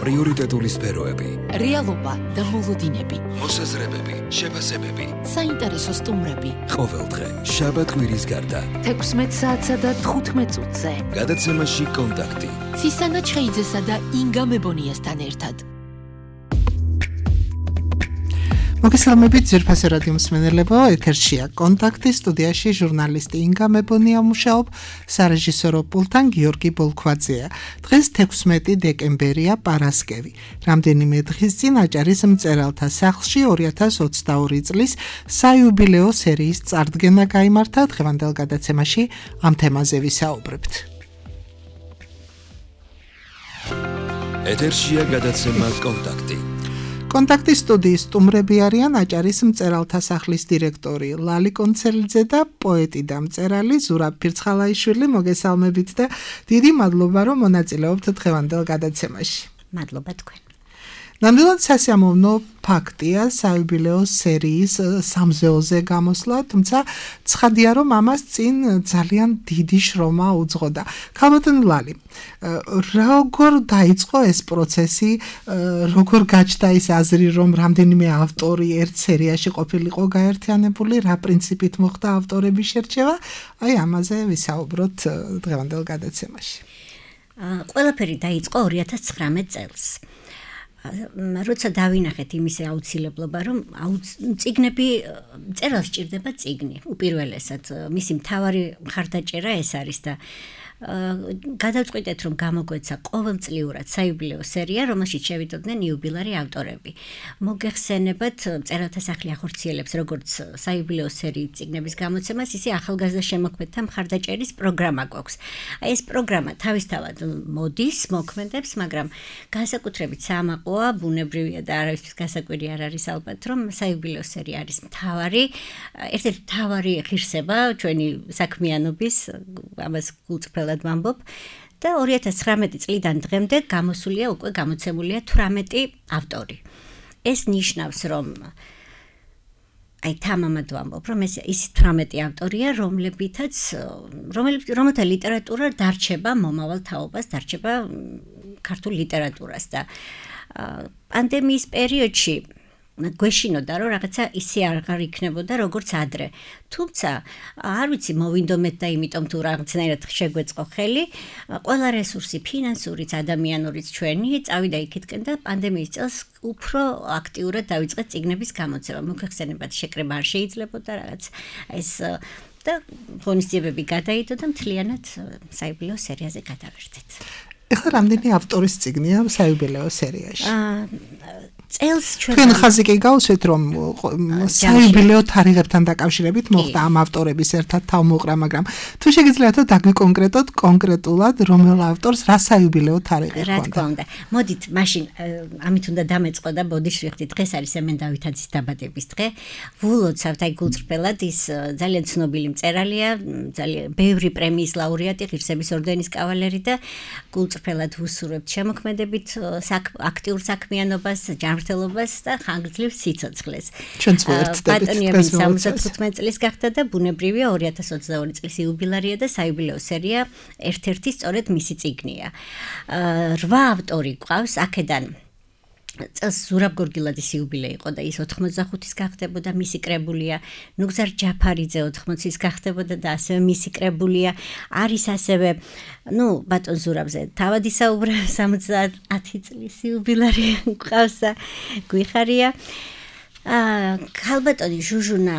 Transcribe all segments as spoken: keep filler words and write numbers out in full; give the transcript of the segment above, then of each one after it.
პრიორიტეტული სფეროები, რეალობა და მოლოდინები, მოსაზრებები, შეფასებები, საინტერესო სტუმრები. ყოველდღე, შაბათ-კვირის გარდა, თექვსმეტ საათსა და თხუთმეტ წუთზე. გადაცემაში კონტაქტი. ცისანა ჩხეიძესა და ინგა მებონიასთან ერთად. მოგესალმებით ძვირფასი რადიო მსმენელებო, ეთერშია კონტაქტი, სტუდიაში ჟურნალისტი ინგა მებონია მუშაობ, სარეჟისორო პულტთან გიორგი ბოლქვაძეა. დღეს თექვსმეტი დეკემბერია, პარასკევი. რამდენიმე დღის წინ აჭარის მწერალთა სახლში ორი ათას ოცდაორი წლის საიუბილეო სერიის წარდგენა გაიმართა. დღევანდელ გადაცემაში ამ თემაზე ვისაუბრებთ. ეთერშია გადაცემა კონტაქტი. კონტაქტის სტუდიის სტუმრები არიან აჭარის მწერალთა სახლის დირექტორი ლალი კონცელიძე და პოეტი და მწერალი ზურაბ ფირცხალაიშვილი. მოგესალმებით და დიდი მადლობა, რომ მონაწილეობთ დღევანდელ გადაცემაში. მადლობა თქვენ. ნამდვილად სასიამოვნო ფაქტია საიუბილეო სერიის სამზეოზე გამოსვლა, თუმცა ცხადია, რომ ამას წინ ძალიან დიდი შრომა უძღოდა. ქალბატონ ლალი, როგორ დაიწყო ეს პროცესი, როგორ გაჩნდა ის აზრი, რომ რამდენიმე ავტორი ერთ სერიაში ყოფილიყო გაერთიანებული, რა პრინციპით მოხდა ავტორების შერჩევა? აი ამაზე ვისაუბროთ დღევანდელ გადაცემაში. ყველაფერი დაიწყო ორი ათას ცხრამეტ წელს. როცა დავინახეთ იმის აუცილებლობა, რომ წიგნები წერალს სჭირდება წიგნი, უპირველესად მისი მთავარი მხარდაჭერა ეს არის და გადავწყვიტეთ, რომ გამოგვეცა ყოველწლიურად საიუბილეო სერია, რომელშიც შევიდოდნენ იუბილარი ავტორები. მოგეხსენებათ, მწერალთა სახლი ახორციელებს როგორც საიუბილეო სერიის წიგნების გამოცემას, ისე ახალგაზრდა შემოქმედთა მხარდაჭერის პროგრამა გვაქვს. აი ეს პროგრამა თავისთავად მოდის, მოქმედებს, მაგრამ განსაკუთრებით საამაყოა, ბუნებრივია და არავისთვის გასაკვირი არ არის ალბათ, რომ საიუბილეო სერია არის მთავარი, ერთ-ერთი მთავარი ღირსება ჩვენი საქმიანობის, ამას გულწრფელ ვამბობ და ორი ათას ცხრამეტი წლიდან დღემდე გამოსულია უკვე გამოცემულია თვრამეტი ავტორი. ეს ნიშნავს, რომ აი თამამად ვამბობ, რომ ეს ის თვრამეტი ავტორია, რომლებითაც რომელთა ლიტერატურა დარჩება მომავალ თაობას, დარჩება ქართულ ლიტერატურას და პანდემიის პერიოდში გვეშინოდა, რომ რაღაცა ისე აღარ იქნებოდა, როგორც ადრე. თუმცა, არ ვიცი, მოვინდომეთ და იმიტომ თუ რაღაცნაირად შეგვეწყო ხელი, ყველა რესურსი, ფინანსურიც, ადამიანურიც ჩვენი, წავიდა იქითკენ და პანდემიის წელს უფრო აქტიურად დავიწყეთ წიგნების გამოცემა. მოგვეხსენებათ, შეკრება არ შეიძლებოდა რაღაც ეს და ღონისძიებები გადაიდო და მთლიანად საიუბილეო სერიაზე გადავერთეთ. ეხლა რამდენი ავტორის წიგნია საიუბილეო სერიაში? წელს ჩვენ თქვენ ხაზი კი გავუსვით, რომ საიუბილეო თარიღებთან დაკავშირებით მოხდა ამ ავტორების ერთად თავმოყრა, მაგრამ თუ შეგიძლიათ დაგვიკონკრეტოთ კონკრეტულად რომელ ავტორს რა საიუბილეო თარიღი რა თქმა უნდა. მოდით, მაშინ ამით უნდა დამეწყო და ბოდიში ვიხდით, დღეს არის სემენ დავითაძის დაბადების დღე. ვულოცავთ აი გულწრფელად, ის ძალიან ცნობილი მწერალია, ძალიან ბევრი პრემიის ლაურეატი, ღირსების ორდენის კავალერი და გულწრფელად ვუსურვებთ შემოქმედებით აქტიურ საქმიანობას, ჯანმრთელობას და ხანგრძლივ სიცოცხლეს. ჩვენც ვერთდებით პატონიები სამოცდათხუთმეტ წლის გახდა და ბუნებრივია ორი ათას ოცდაორი წლის იუბილარია და საიუბილეო სერია ერთ-ერთი სწორედ მისი წიგნია. რვა ავტორი გვყავს აქედან წელს ზურაბ გორგილაძის იუბილე იყო და ის ოთხმოცდახუთის გახდებოდა, მისი კრებულია, ნუგზარ ჯაფარიძე ოთხმოცის გახდებოდა და ასევე მისი კრებულია. არის ასევე, ნუ ბატონ ზურაბზე თავად ისაუბრა, სამოცდაათი წლის იუბილარი გვყავს და გვიხარია. ქალბატონი ჟუჟუნა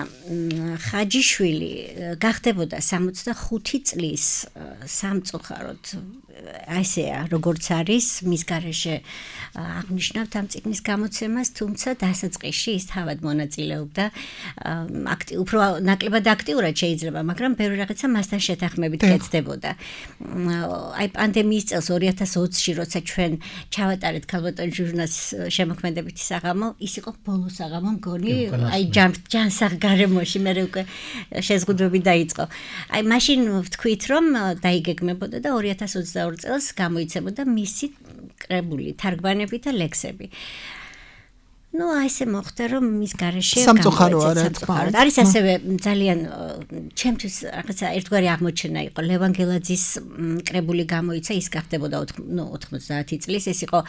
ხაჯიშვილი გახდებოდა სამოცდახუთი წლის სამწუხაროდ ასეა, როგორც არის მის გარეშე აღნიშნავთ ამ წიგნის გამოცემას, თუმცა დასაწყისში ის თავად მონაწილეობდა აქტიურად, უფრო ნაკლებად აქტიურად შეიძლება, მაგრამ ბევრი რაღაცა მასთან შეთანხმებით კეთდებოდა. აი პანდემიის წელს ორი ათას ოცში, როცა ჩვენ ჩავატარეთ ქალბატონ ჟუჟუნას შემოქმედებითი საღამო, ის იყო ბოლო საღამო მგონი, აი ჯანსაღ გარემოში მე უკვე შეზღუდვები დაიწყო. აი მაშინ ვთქვით, რომ დაიგეგმებოდა და ორი ათას ოცდაორი წელს გამოიცემოდა მისი კრებული, თარგმანები და ლექსები. ну აი ესე მოხდა რომ მის garaშე სამწუხაროა რა თქმა უნდა. არის ასევე ძალიან ჩემთვის რაღაცა ერთგვარი აღმოჩენა იყო ლევან გელაძის კრებული გამოიცა ის გახდებოდა ნუ ოთხმოცდაათი წლის ეს იყო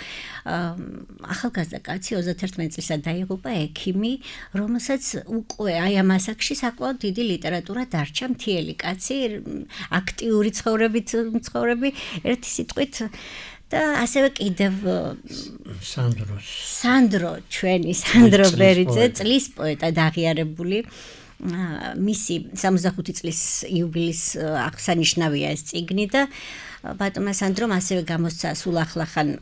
ახალგაზრდა კაცი ოცდაათი წლისა დაიღუპა ექიმი რომელსაც უკვე აი ამ ასაკში საკმაოდ დიდი ლიტერატურა დარჩა მთიელი კაცი აქტიური ცხოვრებით ცხოვრები ერთი სიტყვით და ასევე კიდევ სანდრო სანდრო ჩვენი სანდრო ბერიძე წლის პოეტად აღიარებული მისი სამოცდახუთი წლის იუბილეის აღსანიშნავია ეს წიგნი და ბატონმა სანდრომ ასევე გამოსცა სულ ახლახან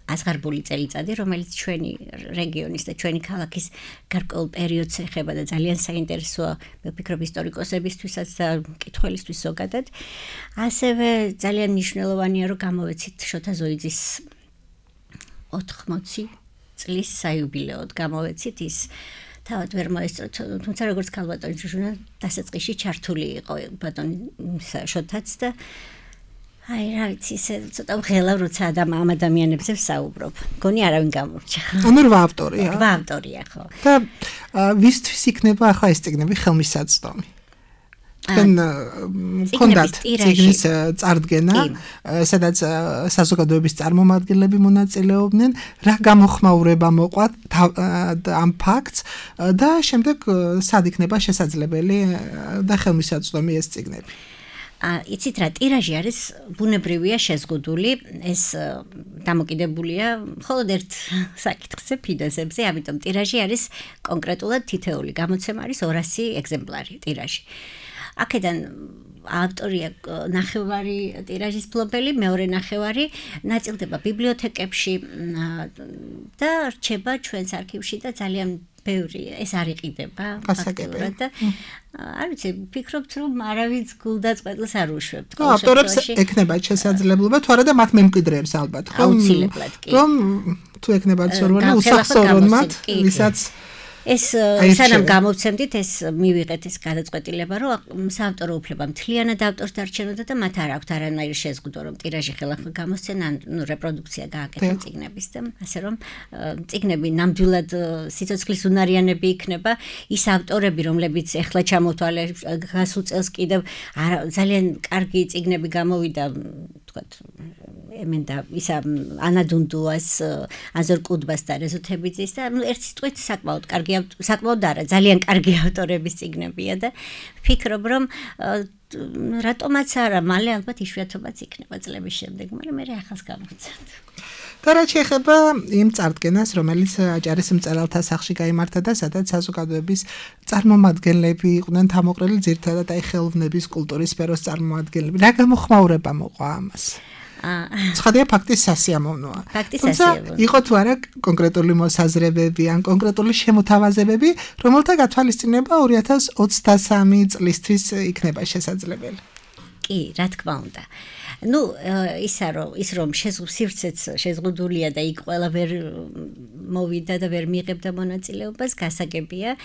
ასღარბული წელიწადი რომელიც ჩვენი რეგიონის და ჩვენი ქალაქის გარკვეულ პერიოდს ეხება და ძალიან საინტერესოა მე ვფიქრობ ისტორიკოსებისთვისაც და მკითხველისთვის ზოგადად ასევე ძალიან მნიშვნელოვანია რომ გამოვეცით შოთა ზოიძის ოთხმოცი წლის საიუბილეოდ გამოვეცით ის თავად ვერ მოესწროთ თუმცა როგორც ქალბატონი ჯუჟუნა დასაწყისში ჩართული იყო ბატონი შოთაც და აი რა ვიცი ესე ცოტა ღელა როცა ადამ ამ ადამიანებზე ვსაუბრობ. მგონი არავინ გამორჩა. ანუ რვა ავტორია. რვა ავტორია ხო. და ვისთვის იქნება ახლა ეს წიგნები ხელმისაწვდომი? თქვენ კონდათ წიგნის წარდგენა, სადაც საზოგადოების წარმომადგენლები მონაწილეობდნენ, რა გამოხმაურება მოყვათ ამ ფაქტს და შემდეგ სად იქნება შესაძლებელი და ხელმისაწვდომი ეს წიგნები? იცით რა ტირაჟი არის ბუნებრივია შეზღუდული ეს დამოკიდებულია მხოლოდ ერთ საკითხზე ფინანსებზე ამიტომ ტირაჟი არის კონკრეტულად თითეული გამოცემა არის ორასი ეგზემპლარი ტირაჟი აქედან ავტორია ნახევარი ტირაჟის ფლობელი მეორე ნახევარი ნაწილდება ბიბლიოთეკებში და რჩება ჩვენს არქივში და ძალიან ბევრი ეს არ იყიდება გასაგებია და არ ვიცი ფიქრობთ რომ არავის გულდაწყვეტილს არ უშვებთ ხო ავტორებს ეკნებათ შესაძლებლობა თუ არა და მათ მემკვიდრეებს ალბათ ხო აუცილებლად კი რომ თუ ეკნებათ სორვალი უსახსოვრონმათ ვისაც ეს სანამ გამოვცემდით ეს მივიღეთ ეს გადაწყვეტილება რომ საავტორო უფლება მთლიანად ავტორს დარჩენოდა და მათ არ აქვთ არანაირი შეზღუდვა რომ ტირაჟი ხელახლა გამოსცენ ან ნუ რეპროდუქცია გააკეთონ წიგნების და ასე რომ წიგნები ნამდვილად სიცოცხლის უნარიანები იქნება ის ავტორები რომლებიც ეხლა ჩამოთვალე გასულ წელს კიდევ ძალიან კარგი წიგნები გამოვიდა თქვათ ემენდა ისა ანა დუნდუას აზორ კუდბას და რეზო თებიძის და ერთ სიტყვით საკმაოდ კარგი საკმაოდ არა ძალიან კარგი ავტორების წიგნებია და ვფიქრობ რომ რატომაც არა მალე ალბათ იშვიათობაც იქნება წლების შემდეგ მაგრამ მე ახალს გამოვცემთ და რაც შეეხება იმ წარდგენას რომელიც აჭარის მწერალთა სახლში გაიმართა და სადაც საზოგადოების წარმომადგენლები იყვნენ თამოყრილი ძირითადად აი ხელოვნების კულტურის სფეროს წარმომადგენლები რა გამოხმაურება მოყვა ამას ცხადია ფაქტის სასიამოვნოა. ფაქტის სასიამოვნოა. იყო თუ არა კონკრეტული მოსაზრებები ან კონკრეტული შემოთავაზებები, რომელთა გათვალისწინება ორი ათას ოცდასამი წლისთვის იქნება შესაძლებელი. კი, რა თქმა უნდა. ну ისა რომ ის რომ სივრცეც შეზღუდულია და იქ ყველა ვერ მოვიდა და ვერ მიიღებდა მონაწილეობას გასაგებია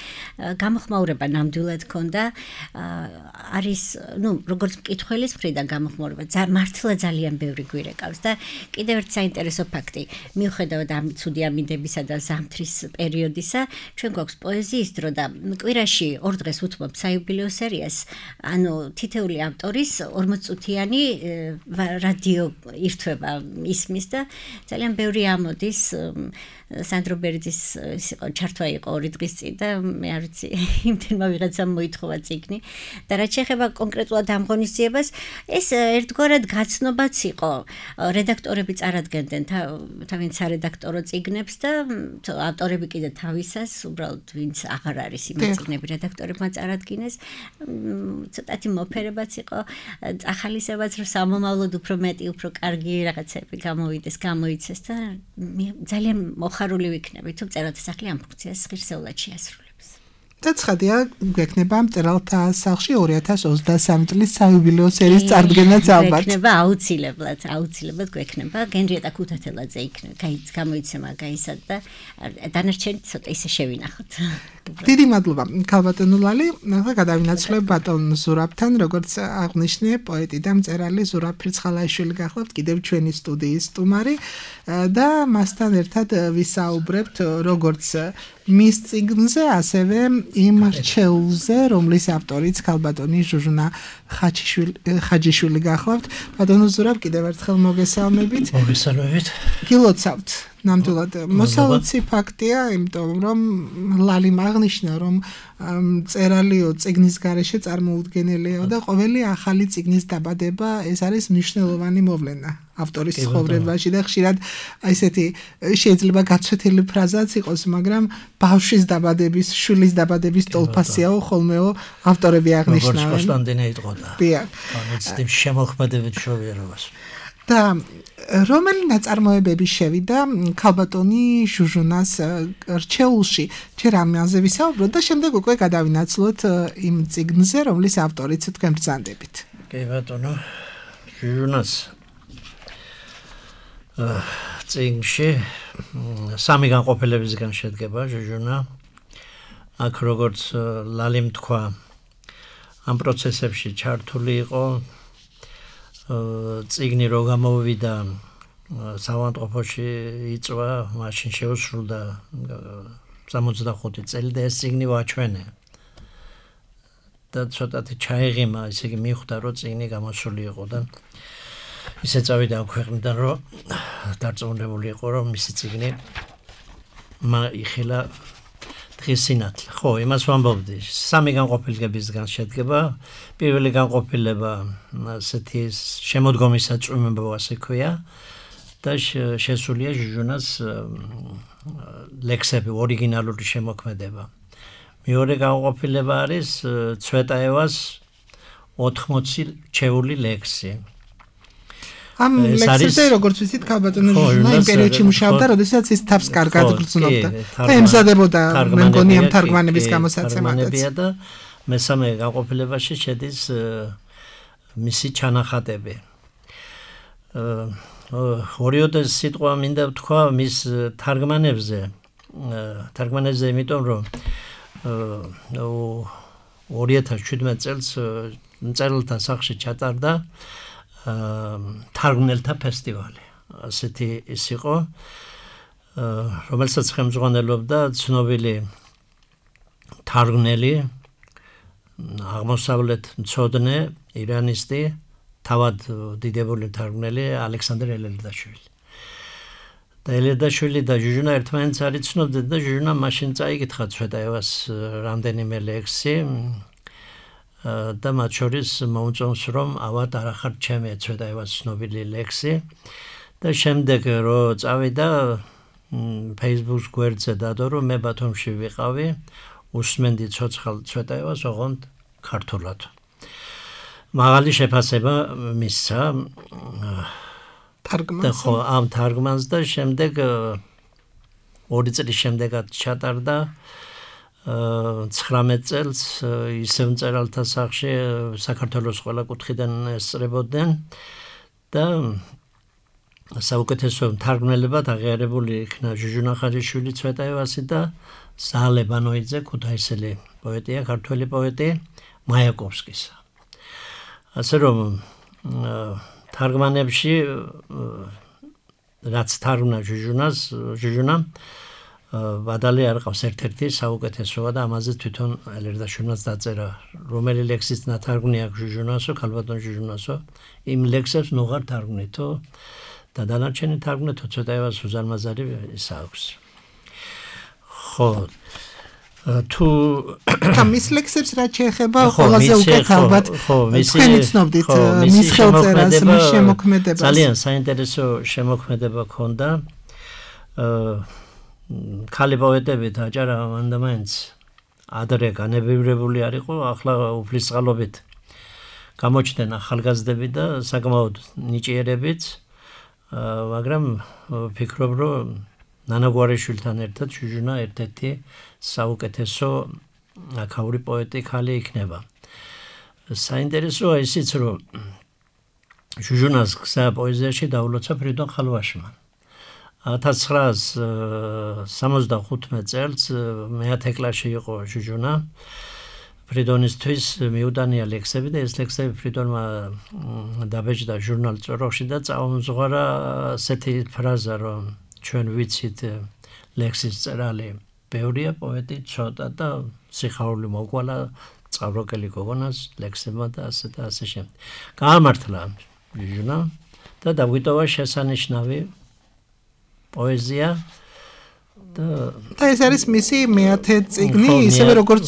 გამოხმაურება ნამდვილად ქონდა არის ну როგორც მკითხველის მხრიდან გამოხმაურება მართლა ძალიან ბევრი გვირეკავს და კიდევ ერთ საინტერესო ფაქტი მიუხედავად ამ ცუდი ამინდებისა და ზამთრის პერიოდისა ჩვენ გვაქვს პოეზიის დრო და კვირაში ორ დღეს უთმობ საიუბილეო სერიას ანუ თითეული ავტორის ორმოც წუთიანი რადიო ირთვება ისმის და ძალიან ბევრი ამოდის სანდრო ბერიძის იყო ჩართვა იყო ორი დღის წინ და მე არ ვიცი იმდენმა ვიღაცამ მოითხოვა წიგნი და რაც შეეხება კონკრეტულად ამ ღონისძიებას ეს ერთგვარად გაცნობაც იყო რედაქტორები წარადგენდნენ თავიანთ სარედაქტორო წიგნებს და ავტორები კიდე თავისას უბრალოდ ვინც აღარ არის იმ წიგნები რედაქტორებმა წარადგინეს ცოტათი მოფერებაც იყო ახალისებაც რომ სამომავლოდ უფრო მეტი უფრო კარგი რაღაცები გამოვიდეს გამოიცეს და ძალიან მოხარული ვიქნები თუ მწერალთა სახლი ამ ფუნქციას ღირსეულად შეასრულებს. და ცხადია გვექნება მწერალთა სახლში ორი ათას ოცდასამი წლის საიუბილეო სერიის წარდგენაც ალბათ. გვექნება აუცილებლად, აუცილებლად გვექნება გენრიეტა ქუთათელაძე იქნება, გამოიცემა გაისად და დანარჩენი ცოტა ისე შევინახოთ. დიდი მადლობა ქალბატონო ლალი. ახლა გადავინაცვლებ ბატონ ზურაბთან, როგორც აღნიშნე, პოეტი და მწერალი ზურაბ ფრიცხალაიშვილი გახლავთ კიდევ ჩვენი სტუდიის სტუმარი და მასთან ერთად ვისაუბრებთ როგორც მის წიგნზე, ასევე იმ რჩეულზე, რომლის ავტორიც ქალბატონი ჟუჟუნა ხაჯიშვილი გახლავთ. ბატონო ზურაბ, კიდევ ერთხელ მოგესალმებით. მოგესალმებით. გილოცავთ. ნამდვილად მოსალოცი ფაქტია, იმიტომ რომ ლალიმ აღნიშნა, რომ მწერალიო წიგნის გარეშე წარმოუდგენელიაო და ყოველი ახალი წიგნის დაბადება ეს არის მნიშვნელოვანი მოვლენა ავტორის ცხოვრებაში და ხშირად ესეთი შეიძლება გაცვეთილი ფრაზაც იყოს, მაგრამ ბავშვის დაბადების, შვილის დაბადების ტოლფასიაო ხოლმეო ავტორები აღნიშნავენ. როგორც კონსტანტინე იტყოდა. დიახ. განეცდით შემოქმედებით მშობიარობას. და რომელი ნაწარმოებები შევიდა ქალბატონი ჟუჟუნას რჩეულში? ჯერ ამაზე ვისაუბროთ და შემდეგ უკვე გადავინაცვლოთ იმ წიგნზე, რომლის ავტორიც თქვენ ბრძანდებით. კი ბატონო, ჟუჟუნას წიგნში სამი განყოფილებისგან შედგება ჟუჟუნა. აქ როგორც ლალიმ თქვა, ამ პროცესებში ჩართული იყო წიგნი რო გამოვიდა საავადმყოფოში იწვა, მაშინ შეუსრულდა სამოცდახუთი წელი და ეს წიგნი ვაჩვენე. და ცოტათი ჩაიღიმა, ისე იგი მიხვდა, რომ წიგნი გამოსული იყო და ისე წავიდა ამ ქვეყნიდან, რომ დარწმუნებული იყო, რომ მისი წიგნი იხილა დღის სინათლე. ხო, იმას ვამბობდი. სამი განყოფილებისგან შედგება. პირველი განყოფილება ასეთი შემოდგომის საწვიმებო ასე ქვია და შესულია ჟუჟუნას ლექსები, ორიგინალური შემოქმედება. მეორე განყოფილება არის ცვეტაევას ოთხმოცი რჩეული ლექსი. ამ ლექსებზე როგორც ვიცით ქალბატონი ჟუჟუნა იმ პერიოდში მუშაობდა, როდესაც ის თავს კარგად გრძნობდა და ემზადებოდა მე მგონი ამ თარგმანების გამოსაცემადაც. და მესამე განყოფილებაში შედის მისი ჩანახატები. ორიოდე სიტყვა მინდა ვთქვა მის თარგმანებზე. თარგმანებზე, იმიტომ რომ ორი ათას შვიდმეტ წელს მწერალთა სახლში ჩატარდა თარგმნელთა ფესტივალი. ასეთი ის იყო, რომელსაც ხელმძღვანელობდა ცნობილი თარგმნელი, აღმოსავლეთ მცოდნე, ირანისტი, თავად დიდებული თარგმნელი ალექსანდრე ელელდაშვილი. და ელელდაშვილი და ჟუჟუნა ერთმანეთს არ იცნობდნენ და ჟუჟუნა მაშინ წაიკითხა ცვეტაევას რამდენიმე ლექსი და მათ შორის მოუწონს, რომ ავად არ ახარ ჩემი ცვეტაევას ცნობილი ლექსი და შემდეგ რომ წავიდა Facebook გვერდზე დადო, რომ მე ბათუმში ვიყავი, უსმენდი ცოცხალ ცვეტაევას, ოღონდ ქართულად. მაღალი შეფასება მისცა თარგმანს. ხო, ამ თარგმანს და შემდეგ ორი წლის შემდეგაც ჩატარდა ცხრამეტ წელს ისევ მწერალთა სახლში საქართველოს ყველა კუთხიდან ესწრებოდნენ და საუკეთესო თარგმნელებად აღიარებული იქნა ჟუჟუნა ხაჯიშვილი ცვეტაევასი და ზალე ბანოიძე, ქუთაისელი პოეტია, ქართველი პოეტი მაიაკოვსკისა. ასე რომ თარგმანებში რაც თარგმნა ჟუჟუნას, ჟუჟუნა ვადალი არ ყავს ერთ-ერთი საუკეთესოა და ამაზე თვითონ ელერდაშვილმაც დაწერა, რომელი ლექსის ნათარგმნი აქვს ჟუჟუნასო, ქალბატონ ჟუჟუნასო, იმ ლექსებს ნუღარ თარგმნითო და დანარჩენი თარგმნითო ცვეტაევას უზარმაზარი ის აქვს. ხო, თუ ამის ლექსებს რაც შეეხება ყველაზე უკეთ ალბათ თქვენი ცნობდით მის ხელწერას, მის შემოქმედებას. ძალიან საინტერესო შემოქმედება ჰქონდა. ქალი პოეტებით აჭარა მანდა მაინც ადრე განებივრებული არ იყო, ახლა უფლისწყალობით გამოჩნდნენ ახალგაზრდები და საკმაოდ ნიჭიერებიც, მაგრამ ვფიქრობ, რომ ნანაგვარიშვილთან ერთად ჟუჟუნა ერთ-ერთი საუკეთესო აქაური პოეტი ქალი იქნება. საინტერესოა ისიც, რომ ჟუჟუნას გზა პოეზიაში დაულოცა ფრიდონ ხალვაშმა. ათას ცხრაას სამოცდახუთმეტ წელს მეათე კლასში იყო ჟუჟუნა ფრიდონისთვის მიუტანია ლექსები და ეს ლექსები ფრიდონმა დაბეჭდა ჟურნალ წოროხში და წაუმზღვარა ასეთი ფრაზა რომ ჩვენ ვიცით ლექსის წერალი ბევრია პოეტი ცოტა და სიხარული მოგვალა წყავროკელი გოგონას ლექსებმა და ასე და ასე შემდეგ. გაამართლა ჟურნა და დაგვიტოვა შესანიშნავი პოეზია და და ეს არის მისი მეათე წიგნი, ისევე როგორც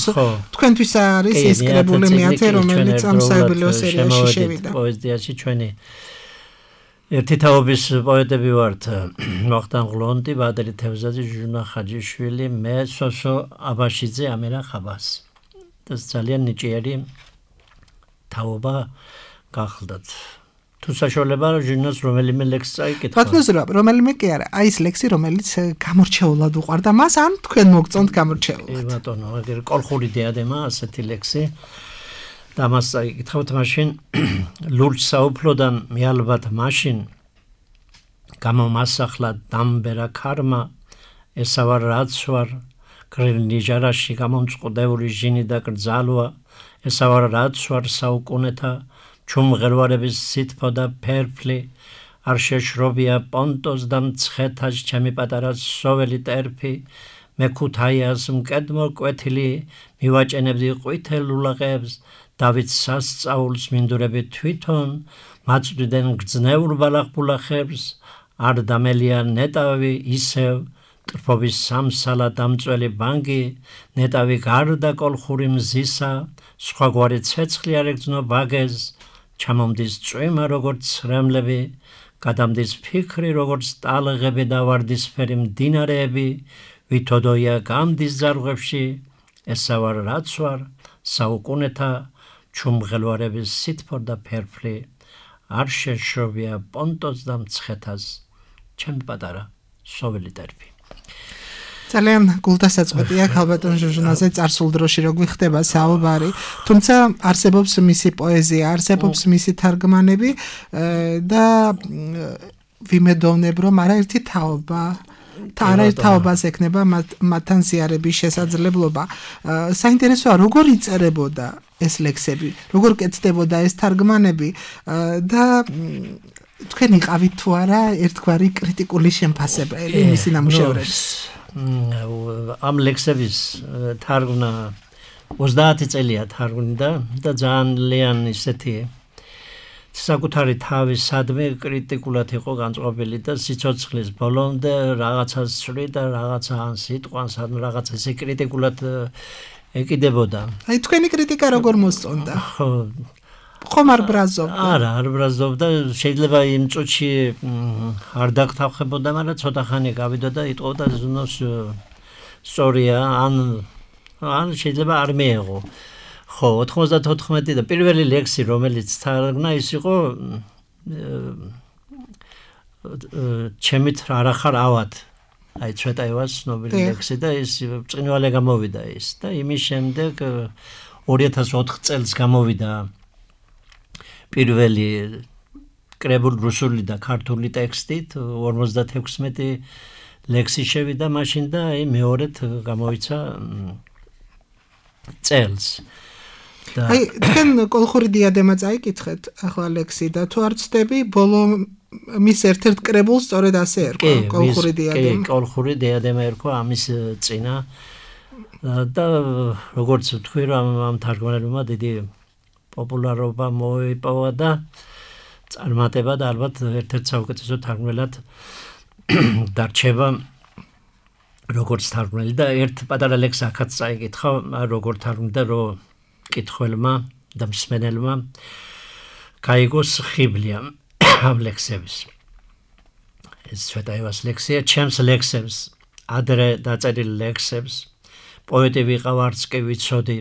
თქვენთვის არის ეს კრებული მეათე, რომელიც ამ საიუბილეო სერიაში შევიდა. პოეზიაში ჩვენი ერთი თაობის პოეტები ვართ ვახტანგ ღლონდი, ბადრი თევზაძე, ჟუჟუნა ხაჯიშვილი, მე სოსო აბაშიძე, ამირა ხაბასი. და ძალიან ნიჭიერი თაობა გახლდათ. თუ საშუალება ჟურნალს რომელიმე ლექსი წაიკითხა. ბატონო, რომელიმე კი არა, აი ეს ლექსი რომელიც გამორჩეულად უყვარდა მას, ან თქვენ მოგწონთ გამორჩეულად. ბატონო, ეგრე კოლხური დიადემა ასეთი ლექსი. და მას წაიკითხავთ მაშინ ლურჯ საუფლოდან მიალბათ მაშინ გამომასახლა დამბერა ქარმა ესავარ რაც ვარ გრილი ჟარაში გამომწყდეული ჟინი და კრძალვა ესავარ რაც ვარ საუკუნეთა ჩუმღერვარების სითფო და ფერფლი არ შეშრობია პონტოს და მცხეთას ჩემი პატარა სოველი ტერფი მე ქუთაიას მკედმო კვეთილი მივაჭენებდი ყვითელ ულაღებს დავით სასწაულს მინდურები თვითონ მაწვდიდნენ გრძნეულ ბალახბულახებს არ დამელია ნეტავი ისევ ტრფობის სამსალა დამწველი ბანგი ნეტავი გარდა კოლხური მზისა სხვაგვარი ცეცხლი არ ეგრძნო ბაგეს ჩამომდის წვიმა როგორც ცრემლები გადამდის ფიქრი როგორც ტალღები და ვარდისფერი მდინარეები ვითოდოია გამდის ზარღვებში ესა ვარ რაც ვარ საუკუნეთა ჩუმღელვარების სითფო და ფერფლი არ შეშრობია პონტოს და მცხეთას ჩემი პატარა სოველი ტერფი. ძალიან გულდასაწყვეტია ქალბატონ ჟუჟუნაზე წარსულ დროში რო გვიხდება საუბარი, თუმცა არსებობს მისი პოეზია, არსებობს მისი თარგმანები და ვიმედოვნებ რომ არაერთი თაობა არაერთ თაობას ექნება მათთან ზიარების შესაძლებლობა. საინტერესოა როგორ იწერებოდა ეს ლექსები, როგორ კეთდებოდა ეს თარგმანები და თქვენ იყავით თუ არა ერთგვარი კრიტიკული შემფასებელი მისი ნამუშევრების. ამ ლექსების თარგმნა ოცდაათი წელია თარგმნიდა და ძალიან ისეთი საკუთარი თავის სადმე კრიტიკულად იყო განწყობილი და სიცოცხლის ბოლომდე რაღაცას ცვლი და რაღაცა ან სიტყვას ან რაღაცა ესე კრიტიკულად ეკიდებოდა. აი თქვენი კრიტიკა როგორ მოსწონდა? ხო ხომ არ ბრაზობდა? არა, არ ბრაზობდა, შეიძლება იმ წუთში არ დაგთახებოდა, მაგრამ ცოტა ხანი გავიდა და იტყოდა ზნოს სწორია, ან ან შეიძლება არ მეეღო. ხო, ოთხმოცდათოთხმეტი და პირველი ლექსი, რომელიც თარგმნა, ის იყო ჩემით არ ახარ ავად. აი ცვეტაევას ცნობილი ლექსი და ის ბრწყინვალე გამოვიდა ის და იმის შემდეგ ორი ათას ოთხ წელს გამოვიდა პირველი კრებული რუსული და ქართული ტექსტით ორმოცდათექვსმეტი ლექსი შევიდა მაშინ და აი მეორედ გამოიცა წელს. აი თქვენ კოლხური დიადემა წაიკითხეთ ახლა ლექსი და თუ არ ცდები ბოლო მის ერთ-ერთ კრებულს სწორედ ასე ერქვა კოლხური დიადემა. კი, კოლხური დიადემა ერქვა ამის წინა და როგორც თქვი რომ ამ თარგმანებმა დიდი პოპულარობა მოიპოვა და წარმატება და ალბათ ერთ-ერთ საუკეთესო თარგმნელად დარჩება როგორც თარგმნელი და ერთ პატარა ლექს ახაც წაიკითხა როგორ თარგმნდა რომ კითხველმა და მსმენელმა გაიგოს ხიბლია ამ ლექსების. ეს ცვეტაევას ლექსია, ჩემს ლექსებს, ადრე დაწერილ ლექსებს, პოეტი ვიყავ არც კი ვიცოდი,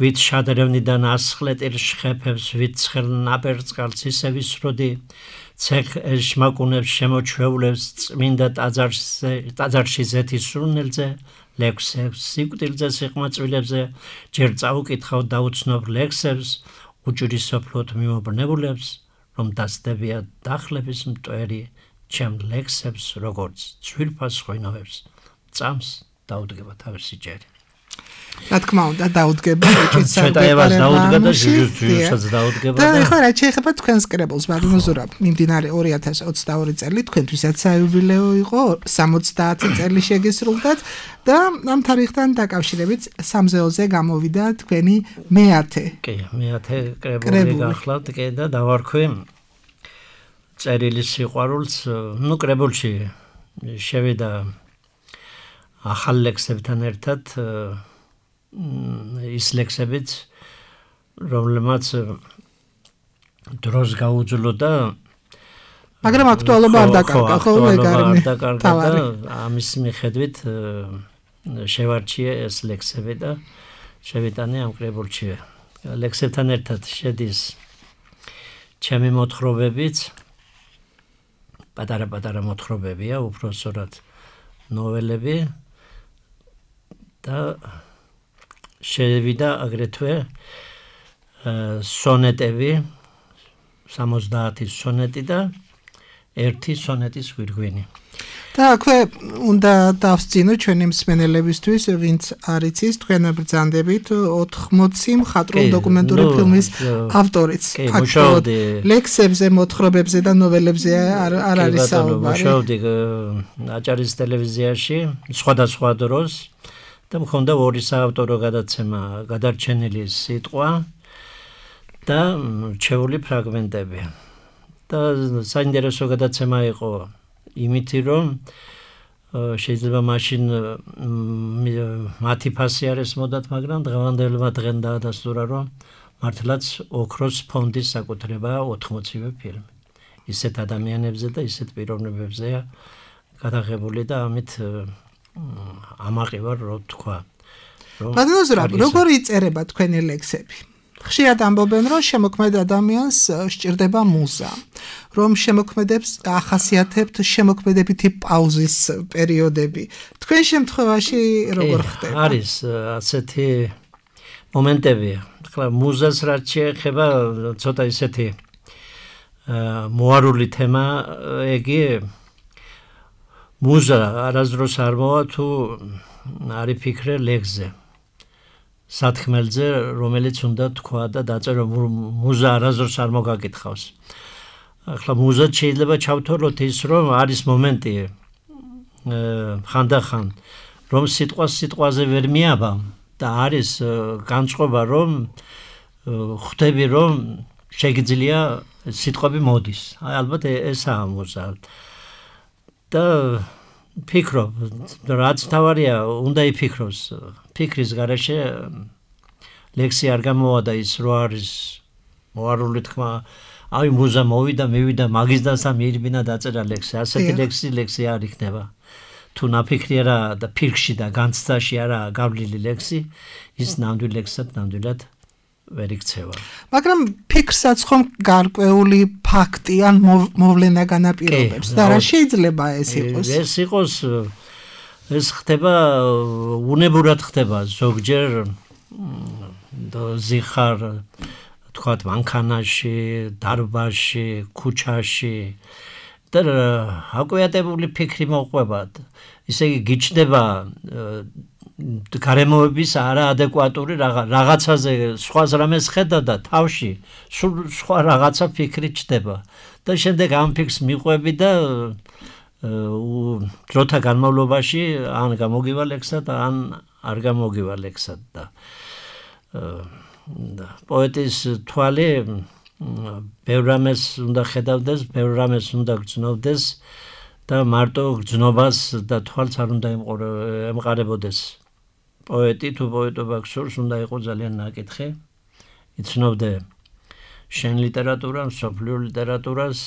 ვით შადრევნიდან ასხლეტილ შხეფებს, ვით ცხელ ნაპერწკალს ისე ვისროდი, ცეх შმაკუნებს შემოჩვეულებს წმინდა ტაძარში ზეთის სურნელზე, ლექსებს, სიკვდილზე, სიყმაწვილებზე, ჯერ წაუკითხავ დაუცნობ ლექსებს, უჭირისოფლოდ მიმობნებულებს, რომ დასდებია დახლების მტვერი ჩემ ლექსებს, როგორც ძვირფას ღვინოებს, წამს დაუდგება თავისი ჯერი. რა თქმა უნდა დაუდგება ეჭვით საერთოდ დაუდგება და ჟუჟუსაც დაუდგება და ეხლა რა შეიძლება თქვენს კრებულს მაგრამ ზურაბ მიმდინარე ორი ათას ოცდაორი წელი თქვენთვისაც საიუბილეო იყო სამოცდაათი წელი შეგესრულდათ და ამ თარიღთან დაკავშირებით სამზეოზე გამოვიდა თქვენი მეათე კი მეათე კრებული გახლავთ კი და დავარქვი წერილის სიყვარულს ნუ კრებულში შევიდა ახალ ლექსებთან ერთად ის ლექსებიც რომლებმაც დროს გაუძლო და მაგრამ აქტუალობა არ დაკარგა ხო ეგარი თავარი ამის მიხედვით შევარჩიე ეს ლექსები და შევიტანე ამ კრებულში ლექსებთან ერთად შედის ჩემი მოთხრობებიც პატარა-პატარა მოთხრობებია უბრალოდ ნოველები და შევიდა აგრეთვე სონეტები სამოცდაათი სონეტი და ერთი სონეტის ვირგვინი და აქვე უნდა დავსწინო ჩვენი მსმენელებისთვის ვინც არ იცის თქვენ ბრძანდებით ოთხმოცი მხატვრულ დოკუმენტური ფილმის ავტორიც აქტიურად ლექსებზე მოთხრობებზე და ნოველებზე არ არ არის საუბარი მუშაობდი აჭარის ტელევიზიაში სხვადასხვა დროს და მქონდა ორი საავტორო გადაცემა გადარჩენილი სიტყვა და რჩეული ფრაგმენტები და საინტერესო გადაცემა იყო იმითი რომ შეიძლება მაშინ მათი ფასი არ ესმოდათ მაგრამ დღევანდელმა დღენ დაადასტურა რომ მართლაც ოქროს ფონდის საკუთრებაა ოთხმოცივე ფილმი ისეთ ადამიანებზე და ისეთ პიროვნებებზეა გადაღებული და ამით ამაყი ვარ რო თქვა რომ ბატონო როგორ იწერება თქვენი ლექსები ხშირად ამბობენ რომ შემოქმედ ადამიანს სჭირდება მუზა რომ შემოქმედებს ახასიათებთ შემოქმედებითი პაუზის პერიოდები თქვენ შემთხვევაში როგორ ხდება არის ასეთი მომენტები ხლა მუზას რაც შეეხება ცოტა ისეთი მოარული თემა ეგი მუზა არასდროს არ მოვა თუ არ იფიქრე ლექსზე სათქმელზე რომელიც უნდა თქვა და დაწერო მუზა არასდროს არ მოგაკითხავს ახლა მუზა შეიძლება ჩავთვალოთ ის რომ არის მომენტი ხანდახან რომ სიტყვა სიტყვაზე ვერ მიაბა და არის განწყობა რომ ხვდები რომ შეგიძლია სიტყვები მოდის ალბათ ესაა მუზა და ფიქრობ რაც თავარია უნდა იფიქროს ფიქრის გარეშე ლექსი არ გამოვა და ის რო არის მოარული თქმა აი მუზა მოვიდა მივიდა მაგისდანსა მიირბინა დაწერა ლექსი ასეთი ლექსი ლექსი არ იქნება თუ ნაფიქრი არა და ფიქრში და განცდაში არა გავლილი ლექსი ის ნამდვილ ლექსად ნამდვილად ვერ იქცევა მაგრამ ფიქრსაც ხომ გარკვეული ფაქტი ან მოვლენა განაპირობებს და რა შეიძლება ეს იყოს ეს იყოს ეს ხდება უნებურად ხდება ზოგჯერ ზიხარ თქვათ მანქანაში დარბაზში ქუჩაში და აკვიატებული ფიქრი მოყვებათ ისე იგი გიჩნდება გარემოების არაადეკვატური რაღაცაზე სხვა რამეს ხედა და თავში სულ სხვა რაღაცა ფიქრი ჩდება და შემდეგ ამ ფიქრს მიყვები და დროთა განმავლობაში ან გამოგივა ლექსად ან არ გამოგივა ლექსად და პოეტის თვალი ბევრ რამეს უნდა ხედავდეს ბევრ რამეს უნდა გრძნობდეს და მარტო გრძნობას და თვალს არ უნდა ემყარებოდეს პოეტი თუ პოეტობა გსურს უნდა იყოს ძალიან ნაკითხი იცნობდე შენ ლიტერატურას მსოფლიო ლიტერატურას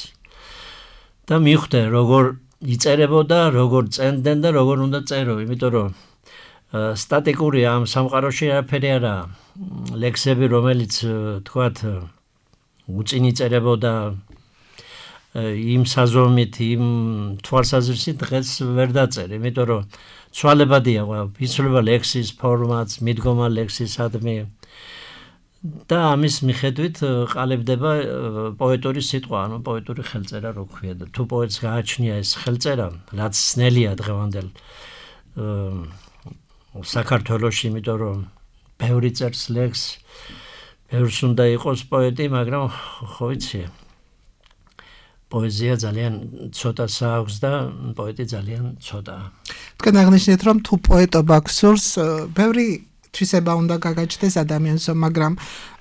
და მიხვდე როგორ იწერებოდა როგორ წერდნენ და როგორ უნდა წერო იმიტომ რომ სტატიკური ამ სამყაროში არაფერი არა ლექსები რომელიც თქვათ უწინი წერებოდა იმ საზომით იმ თვალსაზრისით დღეს ვერ დაწერე იმიტომ რომ ცვალებადია იცვლება ლექსის ფორმაც მიდგომა ლექსისადმი და ამის მიხედვით ყალიბდება პოეტური სიტყვა, ანუ პოეტური ხელწერა რო ქვია და თუ პოეტს გააჩნია ეს ხელწერა, რაც ძნელია დღევანდელ საქართველოში, იმიტომ რომ ბევრი წერს ლექსს, ბევრს უნდა იყოს პოეტი, მაგრამ ხო ვიცი, პოეზია ძალიან ცოტა სააქვს და პოეტი ძალიან ცოტაა. თქვენ აღნიშნეთ, რომ თუ პოეტობა გსურს, ბევრი თვისება უნდა გაგაჩნდეს ადამიანს, მაგრამ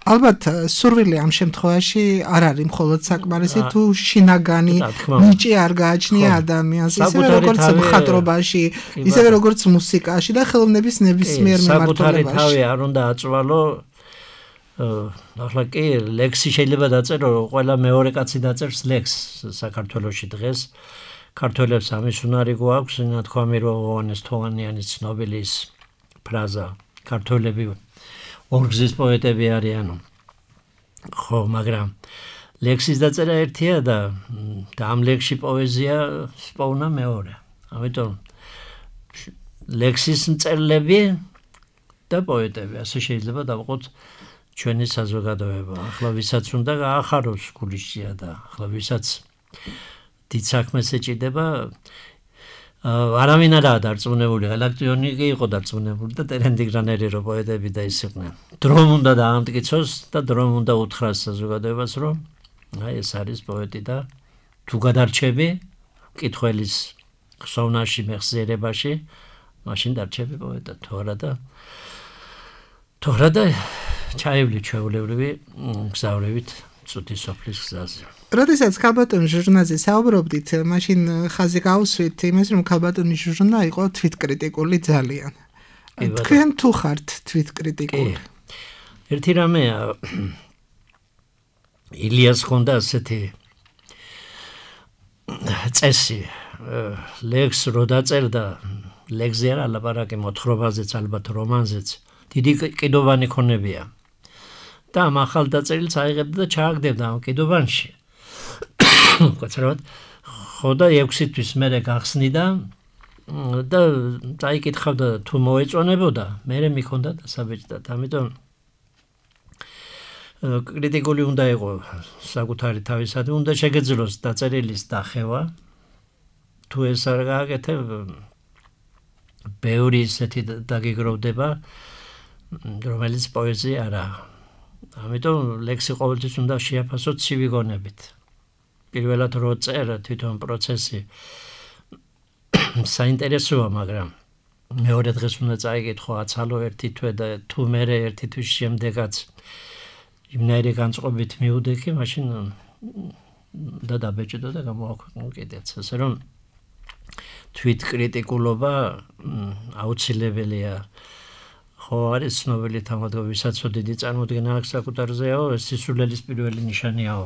ალბათ სურვილი ამ შემთხვევაში არ არის მხოლოდ საკმარისი, თუ შინაგანი ნიჭი არ გააჩნია ადამიანს, ისევე როგორც მხატვრობაში, ისევე როგორც მუსიკაში და ხელოვნების ნებისმიერ მიმართულებაში. საკუთარი თავი არ უნდა აწვალო. ახლა კი ლექსი შეიძლება დაწერო, ყველა მეორე კაცი დაწერს ლექსს საქართველოში დღეს. ქართველებს ამის უნარი გვაქვს, ნათქვამი რომ ოღონეს თოვანიანის ცნობილის ფრაზა ქართველები ორგზის პოეტები არიანო. ხო, მაგრამ ლექსის დაწერა ერთია და და ამ ლექსში პოეზია სპოვნა მეორე. ამიტომ ლექსის მწერლები და პოეტები, ასე შეიძლება დავყოთ ჩვენი საზოგადოება. ახლა ვისაც უნდა გაახაროს გულიშია და ახლა ვისაც დიდ საქმეს ეჭიდება, არავინ არაა დარწმუნებული, ელექტრონი კი იყო დარწმუნებული და ტერენდიგრანერი რო პოეტები და ის იყვნენ. დრომ უნდა დაამტკიცოს და დრომ უნდა უთხრას საზოგადოებას, რომ აი ეს არის პოეტი და თუ გადარჩები მკითხველის ხსოვნაში, მეხსიერებაში, მაშინ დარჩები პოეტად, თუ არა და თუ არა და ჩაივლი ჩვეულებრივი გზავრებით ცუდი სოფლის გზაზე. როდესაც ქალბატონ ჟურნალზე საუბრობდით, მაშინ ხაზი გავუსვით იმას, რომ ქალბატონი ჟურნალა იყო თვითკრიტიკული ძალიან. თქვენ თუ ხართ თვითკრიტიკული? ერთი რამეა, ილიას ხონდა ასეთი წესი, ლექსს რო დაწერდა, ლექსზე არ ალაპარაკე, მოთხრობაზეც, ალბათ რომანზეც, დიდი კიდოვანი ქონებია. და ამ ახალ დაწერილს აიღებდა და ჩააგდებდა ამ კიდოვანში. კაცრავად, ხო და ექვსი თვის მერე გახსნიდა და წაიკითხავდა თუ მოეწონებოდა, მერე მიქონდა დასაბეჭდად. ამიტომ კრიტიკული უნდა იყო საკუთარი თავისადმი, უნდა შეგეძლოს დაწერილის დახევა. თუ ეს არ გააკეთებ, ბევრი ისეთი დაგიგროვდება, რომელიც პოეზია არაა. ამიტომ ლექსი ყოველთვის უნდა შეაფასო ცივი გონებით. პირველად რო წერა თვითონ პროცესი საინტერესოა, მაგრამ მეორე დღეს უნდა წაიკითხო აცალო ერთი თვე და თუ მერე ერთი თვის შემდეგაც იმნაირი განწყობით მიუდექი, მაშინ და დაბეჭდო და გამოაქვეყნო კიდეც. ასე რომ თვითკრიტიკულობა აუცილებელია. ხო არის ცნობილი თამადო, ვისაც დიდი წარმოდგენა აქვს საკუთარზეო, ეს სისულელის პირველი ნიშანიაო.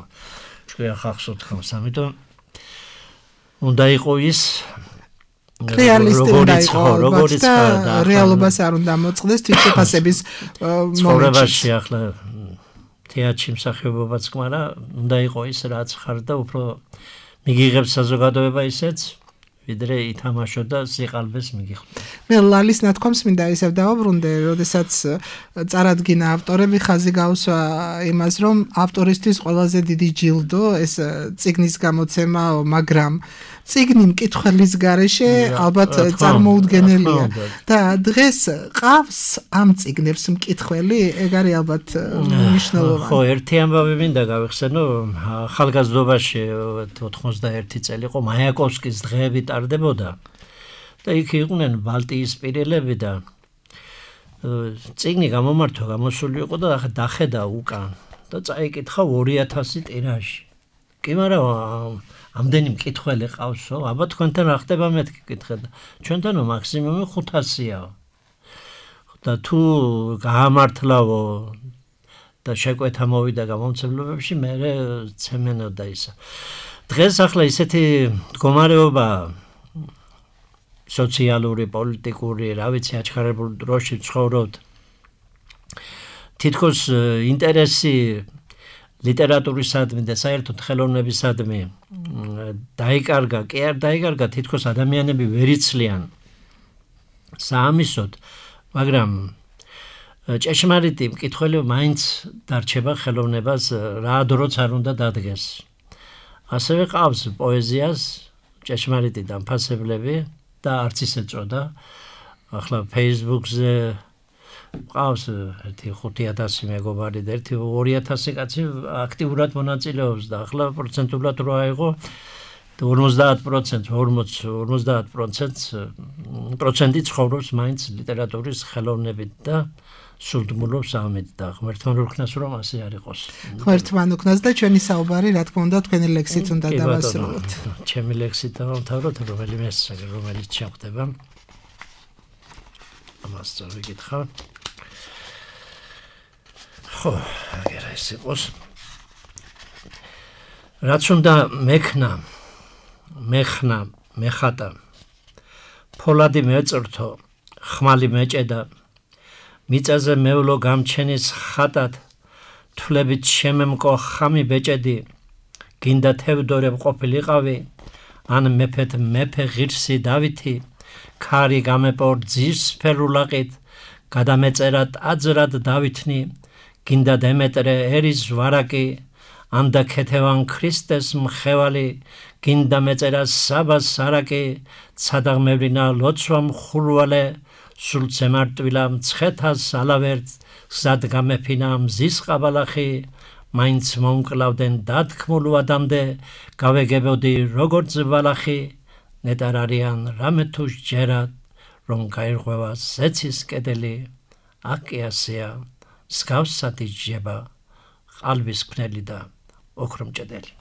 ჩვენ ხახს უთხოვს, ამიტომ უნდა იყო ის რეალისტი უნდა იყოს და რეალობას არ უნდა მოწყდეს თვითშეფასების მომენტში. ახლა თეატრში მსახიობობაც კმარა, უნდა იყო ის რაც ხარ და უფრო მიგიღებს საზოგადოება ისეც, ვიდრე ითამაშო და სიყალბეს მიგიხდა. მე ლალის ნათქვამს მინდა ისევ დავაბრუნდე, როდესაც წარადგინა ავტორები, ხაზი გავსვა იმას, რომ ავტორისთვის ყველაზე დიდი ჯილდო ეს წიგნის გამოცემაო, მაგრამ წიგნი მკითხველის გარეშე ალბათ წარმოუდგენელია და დღეს ყავს ამ წიგნებს მკითხველი, ეგ არის ალბათ მნიშვნელოვანი. ხო, ერთი ამბავი მინდა გავიხსენო, ახალგაზრდობაში ოთხმოცდაერთი წელი იყო, მაიაკოვსკის დღეები ტარდებოდა და იქ იყვნენ ბალტიისპირელები და წიგნი გამომართვა გამოსული იყო და დახედა უკან და წაიკითხა ორი ათასი ტირაჟი. კი, მაგრამ ამდენი მკითხველი ყავსო, აბა თქვენთან რა ხდება მეთქი კითხე და ჩვენთანო მაქსიმუმი ხუთასია. და თუ გაამართლავო და შეკვეთა მოვიდა გამომცემლობებში, მე ცემენოდა ისა. დღეს ახლა ისეთი მდგომარეობა სოციალური, პოლიტიკური, რა ვიცი, აჩქარებულ დროში ცხოვრობთ. თითქოს ინტერესი ლიტერატურისადმი და საერთოდ ხელოვნებისადმი დაიკარგა, კი არ დაიკარგა, თითქოს ადამიანები ვერ იცლიან საამისოდ, მაგრამ ჭეშმარიტი მკითხველი მაინც დარჩება ხელოვნებას რა დროც არ უნდა დადგეს. ასევე ყავს პოეზიას ჭეშმარიტი დამფასებლები და არც ისე წოდა. ახლა Facebook-ზე ყავს ერთი ხუთი ათასი მეგობარი და ერთი ორი ათასი კაცი აქტიურად მონაწილეობს და ახლა პროცენტულად რო აიღო ორმოცდაათ პროცენტს ორმოცდაათ პროცენტი ცხოვრობს მაინც ლიტერატურის ხელოვნებით და სულდმულობს ამით და ღმერთთან უქნას რომ ასე არ იყოს. ღმერთთან უქნას და ჩვენი საუბარი რა თქმა უნდა თქვენი ლექსით უნდა დავასრულოთ. ჩემი ლექსით დავამთავროთ, რომელიმე რომელიც შეხვდება. ამას წავიკითხა. ხო, აგერა ეს იყოს. რაც უნდა მექნა, მეხნა, მეხატა, ფოლადი მეწრთო, ხმალი მეჭედა, მიწაზე მევლო გამჩენის ხატად, თვლებით შემემკო ხამი ბეჭედი, გინდა თევდორე ყოფილიყავი, ან მეფეთ მეფე ღირსი დავითი, ქარი გამეპორ ძირს ფერულაყით, გადამეწერად აძრად დავითნი, გინდა დემეტრე ერის ვარაკი, ანდა ქეთევან ქრისტეს მხევალი, გინდა მეწერა საბას სარაკი, ცადაღმევლინა ლოცვა მხურვალე, სულ ცემარტვილა მცხეთას ალავერთ, გზად გამეფინა მზის ყაბალახი, მაინც მომკლავდნენ დათქმულ ვადამდე, გავეგებოდი როგორც ბალახი, ნეტარ არიან რამე თუ სჯერად, რომ გაირღვევა ზეცის კედელი, აკი ასეა, მსგავსად იჯება, ყალბის ქნელი და ოქრომჭედელი.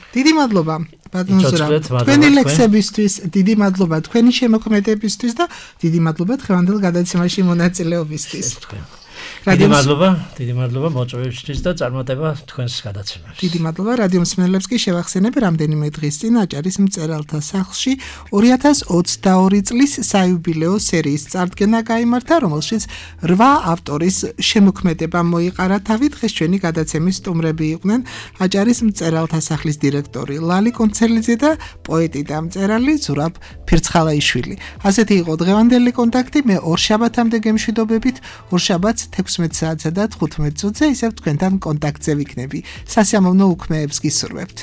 დიდი მადლობა ბატონ ზურაბ თქვენი ლექსებისთვის, დიდი მადლობა თქვენი შემოქმედებისთვის და დიდი მადლობა დღევანდელ გადაცემაში მონაწილეობისთვის. დიდი მადლობა, დიდი მადლობა მოწვევისთვის და წარმატება თქვენს გადაცემაში. დიდი მადლობა რადიო მსმენელებს კი შევახსენებ რამდენიმე დღის წინ აჭარის მწერალთა სახლში ორი ათას ოცდაორი წლის საიუბილეო სერიის წარდგენა გაიმართა, რომელშიც რვა ავტორის შემოქმედება მოიყარა თავი. დღეს ჩვენი გადაცემის სტუმრები იყვნენ აჭარის მწერალთა სახლის დირექტორი ლალი კონცელიძე და პოეტი და მწერალი ზურაბ ფირცხალაიშვილი. ასეთი იყო დღევანდელი კონტაქტი. მე ორ შაბათამდე გემშვიდობებით, ორ შაბათს თექვსმეტ საათსა და თხუთმეტ წუთზე ისევ თქვენთან კონტაქტზე ვიქნები. სასიამოვნო უქმეებს გისურვებთ.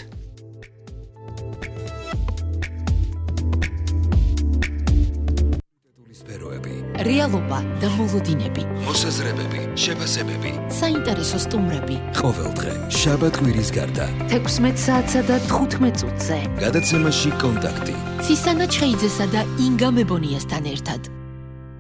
რეალობა და მოლოდინები, მოსაზრებები, შეფასებები, საინტერესო სტუმრები. ყოველდღე შაბათ კვირის გარდა თექვსმეტ საათსა და თხუთმეტ წუთზე გადაცემაში კონტაქტი. ცისანა ჩხეიძესა და ინგა მებონიასთან ერთად.